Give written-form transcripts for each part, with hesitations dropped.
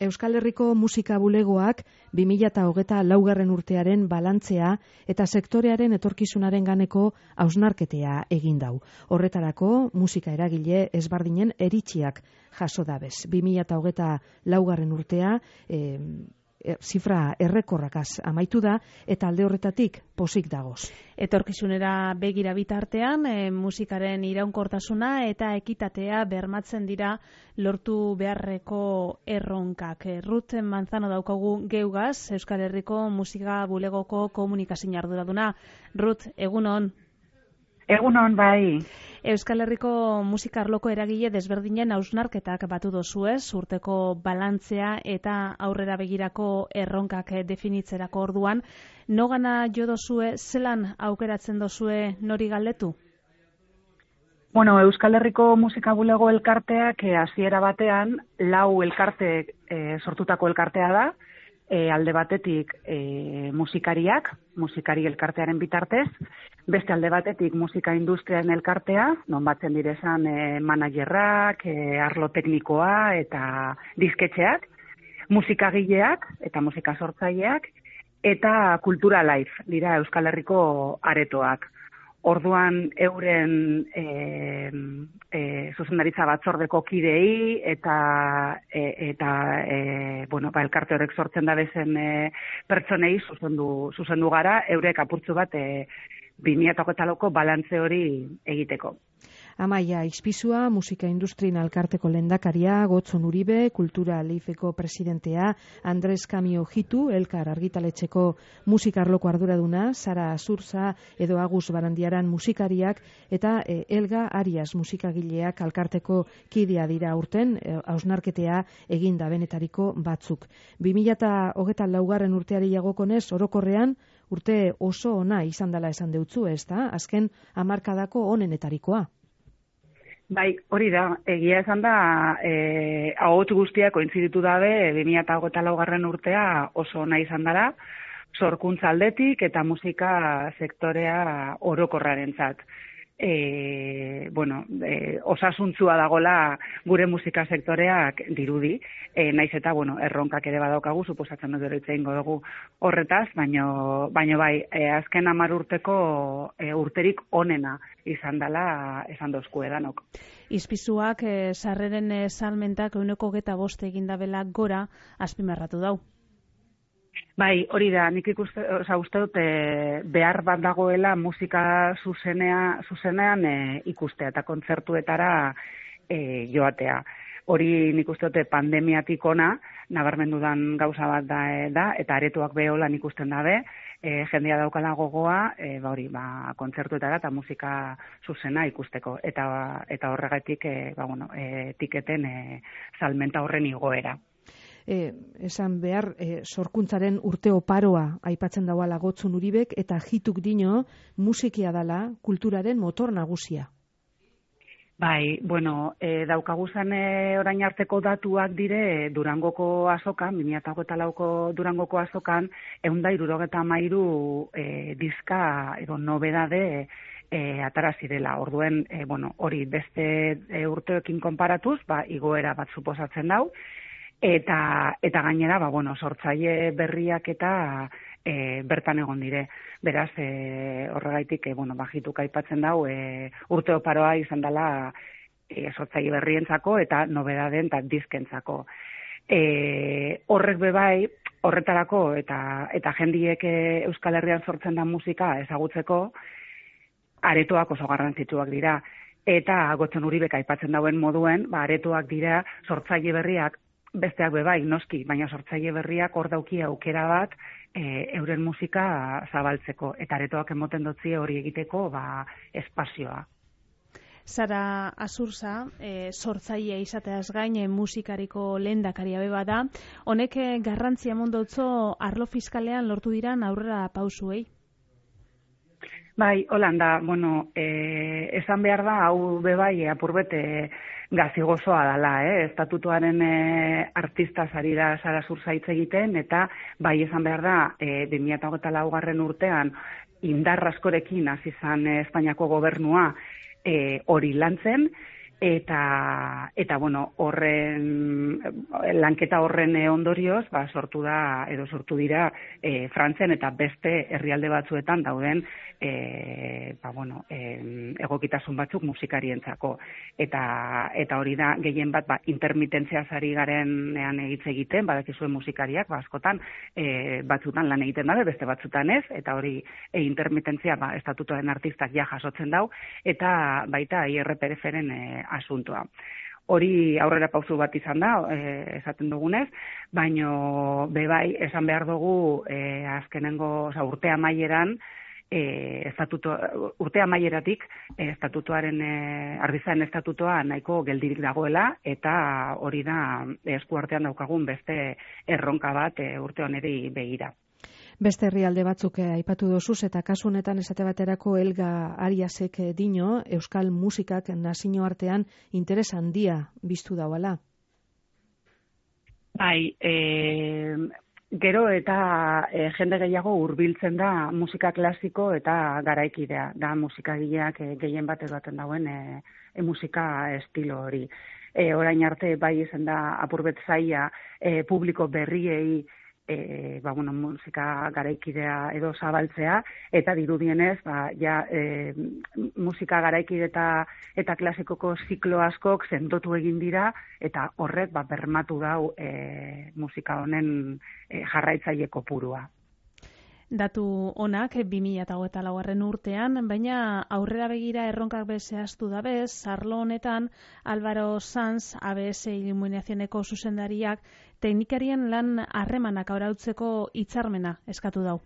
Euskal Herriko Musika Bulegoak 2024. Urtearen balantzea eta sektorearen etorkizunaren ganeko hausnarketea egin dau. Horretarako musika eragile ezberdinen eritziak jaso dabez. 2024. Urtea zifra errekorrakaz amaitu da eta alde horretatik pozik dagoz. Etorkizunera begira bitartean, musikaren iraunkortasuna eta ekitatea bermatzen dira lortu beharreko erronkak. Ruth Manzano daukagu geugaz, Euskal Herriko Musika Bulegoko komunikazio arduraduna. Ruth, egunon. Egunon, bai. Euskal Herriko musika arloko eragile desberdinen hausnarketak batu dozuez, urteko balantzea eta aurrera begirako erronkak definitzerako orduan. Nogana jo dozue, zelan aukeratzen dozue nori galdetu? Bueno, Euskal Herriko Musika Bulego elkarteak hasiera batean 4 elkarte sortutako elkartea da. Alde batetik musikariak, musikari elkartearen bitartez, beste alde batetik musika industriaren elkartea, non batzen direzan managerrak, arlo teknikoa eta disketxeak, musikagileak eta musika sortzaileak, eta Kultura Life dira Euskal Herriko aretoak. Orduan euren zuzendaritza batzordeko kidei eta elkarte horrek sortzen da bezen pertsonei zuzendu gara, eurek apurtzu bat 2024ko balantze hori egiteko. Amaia Ixpizua, musika industrien alkarteko lehendakaria, Gotzon Uribe, Kultura Leifeko presidentea, Andres Kamio Jitu, Elkar argitaletxeko musikarloko arduraduna, Sara Azurza edo Agus Barandiaran musikariak eta Elga Arias musikagileak alkarteko kidea dira urten, hausnarketea eginda benetariko batzuk. 2024. Urteari jagokonez, orokorrean, urte oso ona izan dela esan deutzu, ez da? Azken hamarkadako onenetarikoa. Bai, hori da, egia esan da, ahots guztiak kointziditu dabe 2024. Urtea oso ona izan dara, sorkuntza aldetik eta musika sektorea orokorrarentzat. Osasuntzua dagola gure musika sektoreak dirudi, naiz eta erronkak ere badaukagu, suposatzen dut gero hitz egingo dugu horretaz, baino bai, azken 10 urteko urterik onena izan dela esan dozku edanok. Izpizuak sarreren salmentak 25% egin dabela gora azpimarratu dau. Bai, hori da, nik uste dut behar bat dagoela musika zuzenean ikustea eta kontzertuetara joatea. Hori nik uste dut pandemiatik ona, nabarmendudan gauza bat da, eta aretoak beholan ikusten dabe, jendea daukala gogoa, kontzertuetara eta musika zuzena ikusteko. Eta horregatik, tiketen salmenta horren igoera. Esan behar, sorkuntzaren urte oparoa aipatzen dauala Gotzon Uribek eta Jituk dino musikia dala kulturaren motor nagusia. Bai, daukaguzan orain arteko datuak dire Durangoko azokan, 2024ko Durangoko azokan, 173 diska edo nobedade atarazi dela. Orduen, hori beste urteekin konparatuz, igoera bat suposatzen dau, eta gainera, sortzaile berriak eta bertan egon dire. Beraz, horregaitik, Jituk aipatzen dau, urte oparoa izan dela sortzaile berrientzako eta nobedaden eta diskentzako. Horrek bebai, horretarako eta jendiek Euskal Herrian sortzen da musika ezagutzeko, aretoak oso garrantzitsuak dira. Eta Gotzon Uribek aipatzen dauen moduen, aretoak dira sortzaile berriak, besteak bebai, noski, baina sortzaile berriak hor dauki aukera bat euren musika zabaltzeko. Eta aretoak emoten dotzie hori egiteko espazioa. Sara Azurza, sortzaile izateaz gain musikariko lehendakaria beba da. Honek garrantzia mondotzo arlo fiskalean lortu diran aurrera pausuei? Bai, Holanda, esan behar da, hau bebai apurbete gazigozoa dela, estatutuaren artista zari da Sara Azurza hitz egiten, eta bai esan behar da, 2024. Urtean indar askorekin hasi izan Espainiako gobernua hori lantzen, eta bueno, horren lanketa horren ondorioz, sortu dira Frantzian eta beste herrialde batzuetan dauden egokitasun batzuk musikarientzako. Eta hori da gehien bat intermitentziaz ari garenean hitz egiten, badakizuen musikariak askotan batzutan lan egiten dabe, beste batzutan ez, eta hori intermitentzia estatutoaren artistak ja jasotzen dau, eta baita IRPF-ren asuntoa. Hori aurrera pausu bat izan da, esaten dugunez, baino bebai esan behar dugu azkenengo urte amaieran, urte amaieratik estatutoaren ardizaen estatutoa nahiko geldirik dagoela, eta hori da eskuartean daukagun beste erronka bat urte honeri begira. Beste herrialde batzuk aipatu dozuz, eta kasu honetan esate baterako Elga Ariasek dino, euskal musikak nazio artean interes handia biztu dauala. Bai, gero eta jende gehiago hurbiltzen da musika klasiko eta garaikidea, da musikagileak gehien bat edaten dauen musika estilo hori. Orain arte bai izan da apurbet zaila publiko berriei musika garaikidea edo zabaltzea, eta dirudienez, musika garaikide eta klasikoko ziklo askok sendotu egin dira, eta horrek bermatu dau musika honen jarraitzaile kopurua. Datu onak 2024 urtean, baina aurrera begira erronkak zehaztu dabez, arlo honetan Álvaro Sanz, ABS Iluminacioneko zuzendariak, teknikarien lan harremanak arautzeko hitzarmena eskatu dau.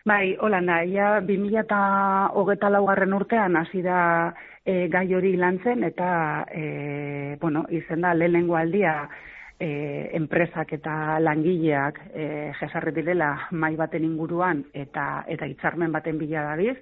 Bai, holanda, ja 2024 urtean hasi da gai hori lantzen, eta izen da lehenengo aldia enpresak eta langileak jesarri direla mahai baten inguruan eta hitzarmen baten bila dabiz.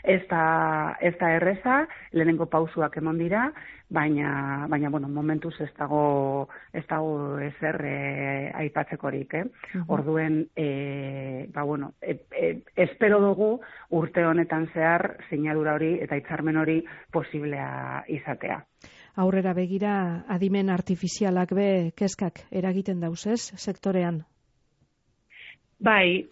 Ez da erreza, lehenengo pausuak emon dira, baina momentuz ez dago ezer aipatzekorik. Orduen, espero dugu urte honetan zehar sinadura hori eta hitzarmen hori posiblea izatea. Aurrera begira, adimen artifizialak kezkak eragiten dauzez sektorean? Bai,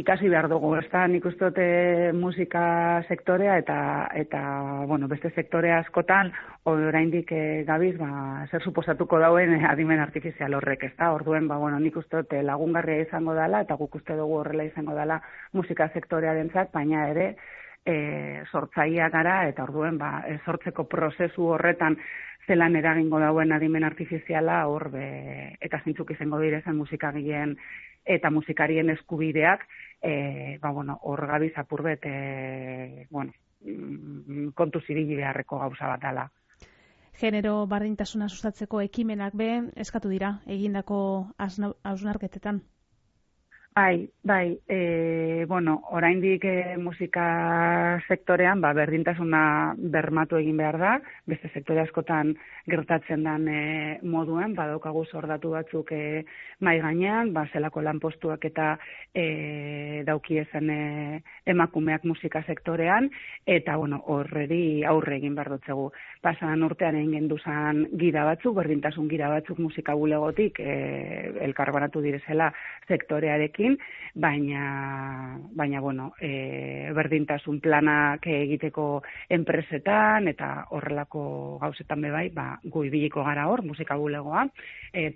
ikasi behar dugu, ez da, nik uste dute musika sektorea eta beste sektore askotan, oraindik gabiz, zer suposatuko dauen adimen artifizial horrek, ez da, orduen, nik uste dute lagungarria izango dela, eta guk uste dugu horrela izango dela musika sektorearentzat, baina ere, sortzaileak gara, eta orduen, sortzeko prozesu horretan zelan eragingo dauen adimen artifiziala eta zintzuk izango direzen musikagileen eta musikarien eskubideak, hor gabiz apurbet, kontu zibili beharreko gauza bat dela. Genero berdintasuna sustatzeko ekimenak eskatu dira egindako hausnarketetan. Bai, oraindik musika sektorean berdintasuna bermatu egin behar da, beste sektore askotan gertatzen den moduen, badaukagu zordatu batzuk mai gainean, zelako lanpostuak eta daukiezen emakumeak musika sektorean, eta horreri aurre egin behar dutzegu. Pasan urtean egin genduzan gira batzuk, berdintasun gira batzuk musika bulegotik elkarbanatu direzela sektorearekin, baina berdintasun planak egiteko enpresetan eta horrelako gauzetan bebai, gu ibiliko gara hor, musika bulegoa,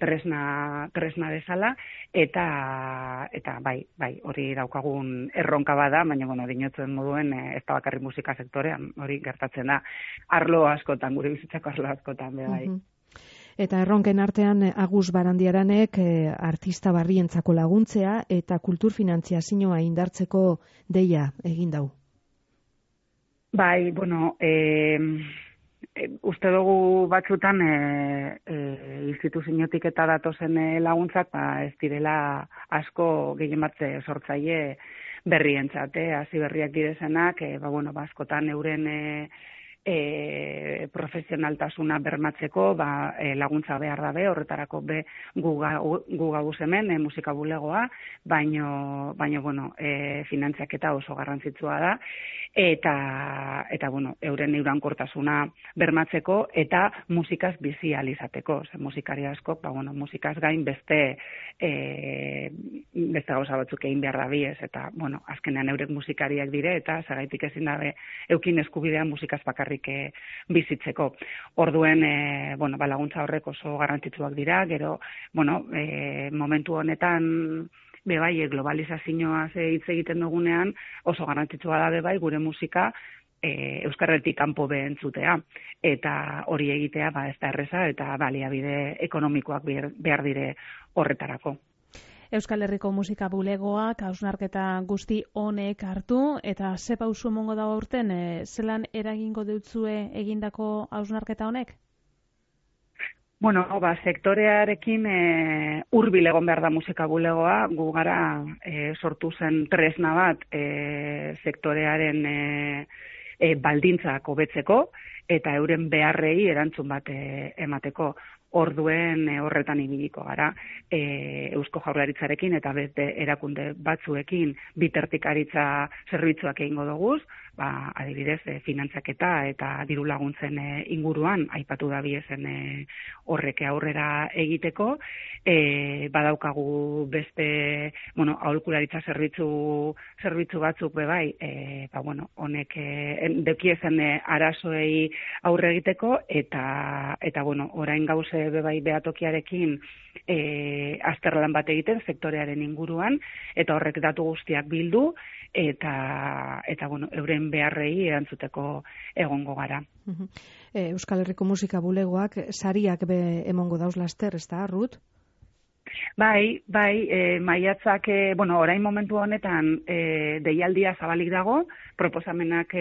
tresna bezala, eta bai, hori daukagun erronka bada, baina dinotzuen moduen ez da bakarrik musika sektorean, hori gertatzen da arlo askotan, gure bizitzako arlo askotan bebai. Eta erronken artean Agus Barandiaranek artista barrientzako laguntzea eta kulturfinantziazioa indartzeko deia egin dau. Bai, uste dugu batzutan instituziotik eta datozen laguntzak ez direla asko gehien bat sortzaile berrientzat, hasi berriak direzenak, askotan euren profesionaltasuna bermatzeko laguntza behar dabe, horretarako gu gauz hemen musika bulegoa, baino bueno, finantziaketa oso garrantzitsua da, eta bueno, euren iraunkortasuna bermatzeko eta musikaz bizi ahal izateko. Musikari askok, bueno, musikaz gain beste gauza batzuk egin behar dabiez, eta bueno, azkenean eurek musikariak dire, eta zergaitik ezin dabe eukin eskubidean musikaz bakarrik bizitzeko. Orduen, bueno, laguntza horrek oso garrantzitsuak dira, gero, bueno, momentu honetan bebai, globalizazioaz hitz egiten dugunean, oso garrantzitsua da bebai, gure musika euskarretik kanpo behentzutea, eta hori egitea ez da erreza, eta baliabide ekonomikoak behar dire horretarako. Euskal Herriko Musika Bulegoak hausnarketa guzti honek hartu, eta ze pausu emongo da aurten, zelan eragingo deutzue egindako hausnarketa honek? Bueno, sektorearekin hurbil egon behar da musika bulegoa, gu gara sortu zen tresna bat sektorearen baldintzak hobetzeko eta euren beharrei erantzun bat emateko. Orduen horretan ibiliko gara Eusko Jaurlaritzarekin eta beste erakunde batzuekin bitartekaritza zerbitzuak egingo doguz, adibidez finantzaketa eta diru laguntzen inguruan aipatu da biezen horrek aurrera egiteko, badaukagu beste, bueno, aholkularitza zerbitzu batzuk bebai, bueno, honek dekiezen arazoei aurre egiteko eta bueno, orain gauze bebai behatokiarekin azterlan bat egiten sektorearen inguruan, eta horrek datu guztiak bildu, eta bueno, euren beharrei erantzuteko egongo gara. Euskal Herriko Musika Bulegoak sariak emongo dauz laster, ez da, Ruth? Bai, maiatzak, bueno, orain momentu honetan deialdia zabalik dago, proposamenak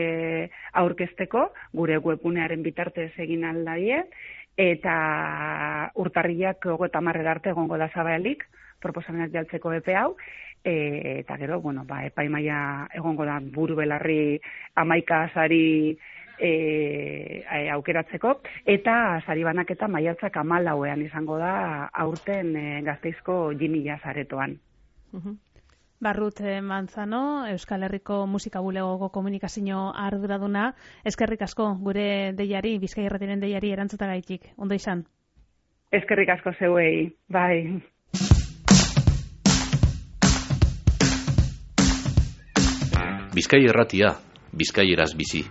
aurkezteko, gure webgunearen bitartez egin aldaie, eta urtarrilak 30 arte egongo da zabalik, proposamenak jaltzeko epe hau, eta gero, bueno, epaimaia egongo da buru belarri 11 sari aukeratzeko, eta sari banaketa maiatzak 14ean izango da aurten Gasteizko Jimila saretoan. Ruth Manzano, Euskal Herriko Musika Bulegoko komunikazio arduraduna, eskerrik asko gure deiari, Bizkai Irratiaren deiari erantzutagaitik. Ondo izan. Eskerrik asko zeuei, bai. Bizkai Irratia, bizkaieraz bizi.